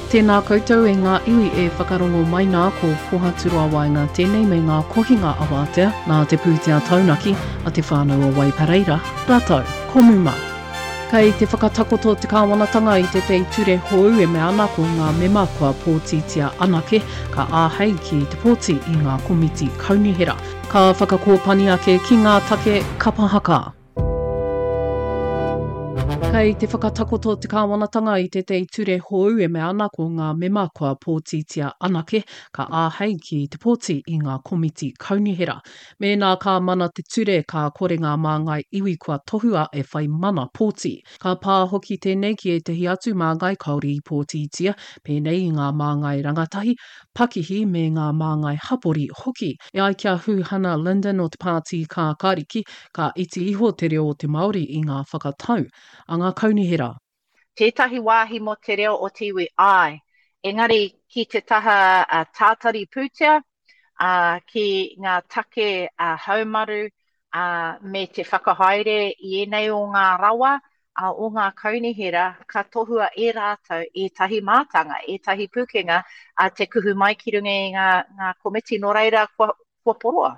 Tēnā koutou e ngā iwi e whakarongo mai nā ko Pohaturoa Waenga tēnei me ngā kohinga awatea nā te pūtea taunaki a Te Whānau o Waipareira rātou ko Muma. Kei te whakatakoto te kāwanatanga i tētehi ture hou e mea ana ko ngā mema kua pōtitia anake ka āhei ki te pōti i ngā komiti kaunihera. Ka whakakōpani ake ki ngā take kapa haka. Kei te whakatakoto te kāwanatanga i tētehi ture hou e mea ana ko ngā mema kua pōtitia anake ka āhei ki te pōti i ngā komiti kaunihera. Mēnā ka mana te ture ka kore ngā māngai iwi kua tohua e whai mana pōti. Ka pā hoki tēnei ki ētehi atu māngai kāore i pōtitia, pēnei i ngā māngai rangatahi, pakihi me ngā māngai hapori hoki. E ai ki a Huhana Lyndon o te Pāti Kākāriki, ka iti iho te reo o te Māori i ngā whakatau a ngā kaunihera. Tētahi wāhi mō te reo o te iwi, āe. Engari ki te taha tātari pūtea, ā, ki ngā take haumaru, ā, me te whakahaere i ēnei o ngā rawa, ā, o ngā kaunihera, ka tohua e rātou ētahi mātanga, ētahi pūkenga, ā, te kuhu mai ki runga i ngā, ngā komiti, nō reira kua, kua poroa,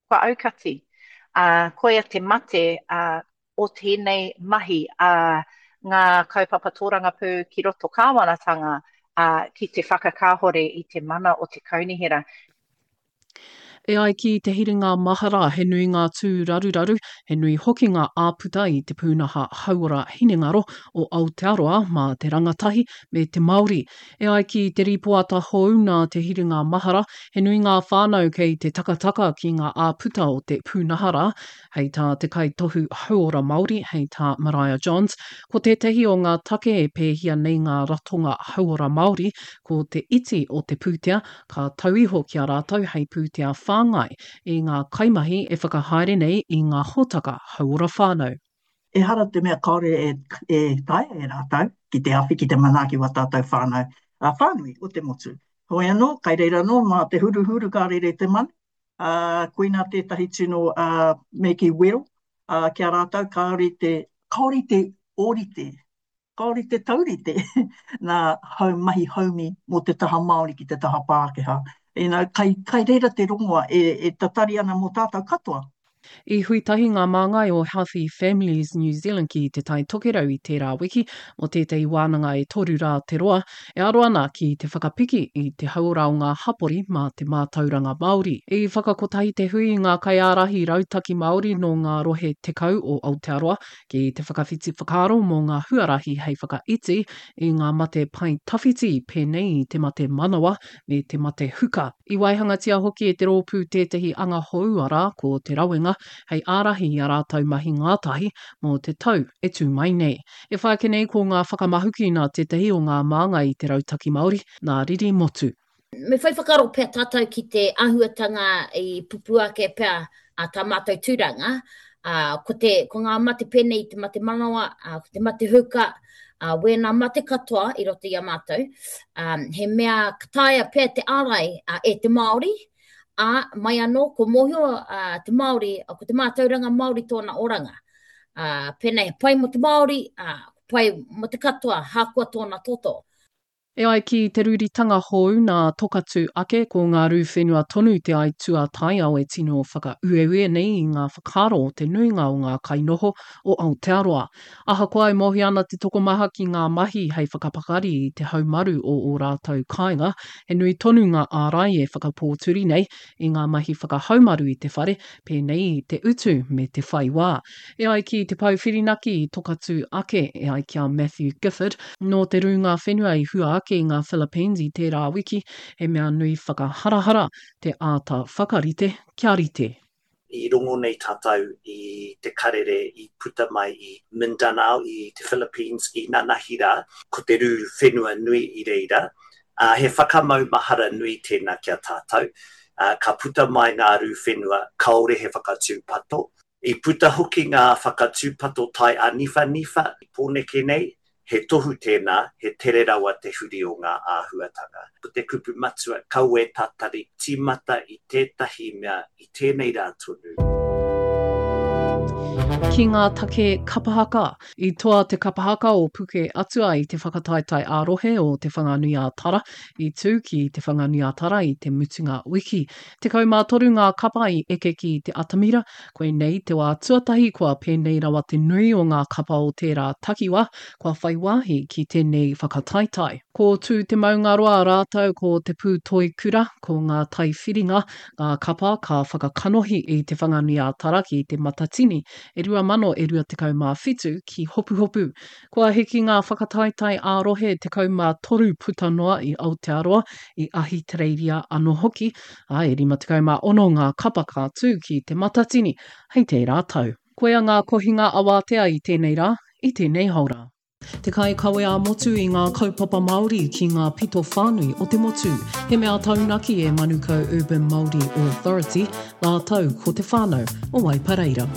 kua aukati. Ā, koia te mate, ā, o tēnei mahi a ngā kaupapa tōrangapū ki roto kāwanatanga, ā, ki te whakakāhore i te mana o te kaunihera. E ai ki te hiringa mahara, he nui ngā tūraruraru, he nui hoki ngā āputa i te pūnaha hauora hinengaro o Aotearoa mā te rangatahi me te Māori. E ai ki te rīpoata hou nā te hiringa mahara, he nui ngā whānau kei te takataka ki ngā āputa o te pūnaha rā. Hei tā te kaitohu hauora Māori, hei tā Maraea Johns, ko tētahi o ngā take e pēhia nei ngā ratonga hauora Māori, ko te iti o te pūtea ka tau iho ki a rātou hei pūtea whāngai i ngā kaimahi e whakahaere nei i ngā hōtaka hauora whānau. Ehara te mea kāore e taea e rātou ki te awhi, ki te manaaki wā tātou whānau whānui o te motu. Heoi anō, kai reira anō mā te huruhuru ka rere te manu, ā, koinā tētahi tino me kī wero ki a rātou kāore te, kāore te ōrite Kāore te taurite nā hau mahi haumi mō te taha Māori ki te taha Pākehā. You know, kai, kai reira te rongoa e, e tatari ana mō tātou katoa. I hui tahi ngā māngai o Healthy Families New Zealand ki Te Tai Tokerau i tērā wiki mō tētahi wānanga e toru rā te roa, e aro ana ki te whakapiki i te hauora o ngā hapori mā te mātauranga Māori. I whakakotahi te hui i ngā kaiārahi rautaki Māori nō ngā rohe 10 o Aotearoa ki te whakawhiti whakaaro mō ngā huarahi hei whakaiti i ngā mate pae tawhiti pēnei i te mate manawa me te mate huka. I waihangatia hoki e te rōpū tētahi anga hou arā, ko Te Rawenga, hei ārahi i a rātou mahi ngātahi mō te tau e tū mai nei. E whai ake nei ko ngā whakamahuki nā tētahi o ngā māngai i te Rautaki Māori, nā Riri Motu. Me whai whakaaro pea tātou ki te āhuatanga i pupū ake pea a tā mātou tūranga, ā, ko te, ko ngā mate pēnei i te mate manawa, ā, ko te mate huka, ā, wēnā mate katoa i roto i a mātou, ā, he mea ka taea pea te ārai ā, e te Māori, ā, mai anō, ko mōhio ā, te Māori, ko te mātauranga Māori tōna oranga. Ā, pēnei he pai mō te Māori, ā, pai mō te katoa, hākoa tōna toto. E ai ki te rūritanga hou nā Tokatū ake, ko ngā rū whenua tonu te aituā taiao e tino whakaueue nei i ngā whakaaro o te nuinga o ngā kainoho o Aotearoa. Ahakoa e mōhio ana te tokomaha ki ngā mahi hei whakapakari i te haumaru o ō rātou kāinga, he nui tonu ngā ārai e whakapōturi nei i ngā mahi whakahaumaru i te whare, pēnei i te utu me te whai wā. E ai ki Te Pou Whirinaki i Tokatū ake, e ai ki a Matthew Gifford, nō te rūnga whenua i hua ake i ngā Philippines i tērā wiki, he mea nui whakaharahara te āta whakarite kia rite. I rongo nei tātou i te karere i puta mai i Mindanao i te Philippines i nanahi rā, ko te rū whenua nui i reira, ā, he whakamaumahara nui tēnā ki a tātou, ā, ka puta mai ngā rū whenua kāore he whakatūpato. I puta hoki ngā whakatūpato tai āniwhaniwha i Pōneke nei, he tohu tēnā, he tere rawa te huri o ngā āhuatanga. Ko te kupu matua, kaua e tatari, tīmata i tētahi mea i tēnei rā tonu. Ki ngā take kapa haka. I toa te kapa haka o Puke Atua i te whakataetae ā-rohe o Te Whanganui-ā-Tara i tū ki Te Whanganui-ā-Tara i te mutunga wiki. 13 ngā kapa i eke ki te atamira, koinei te wā tuatahi kua pēnei rawa te nui o ngā kapa o tērā takiwā kua whai wāhi ki tēnei whakataetae. Ko Tū Te Maungaroa rātou ko Te Pūtoikura, ko Ngā Taiwhiringa, ngā kapa ka whakakanohi i Te Whanganui-ā-Tara ki Te Matatini e 2027 ki Hopuhopu. Kua hiki ngā whakataetae ā-rohe 13 puta noa i Aotearoa, i Ahitereiria anō hoki, ā, e 56 ngā kapa ka tū ki Te Matatini hei tērā tau. Koia ngā kohinga awātea i tēnei rā, i tēnei haora. Te kaikawe ā-motu i ngā kaupapa Māori ki ngā pito whānui o te motu. He mea taunaki e Manukau Urban Māori Authority rātou ko te whānau o Waipareira.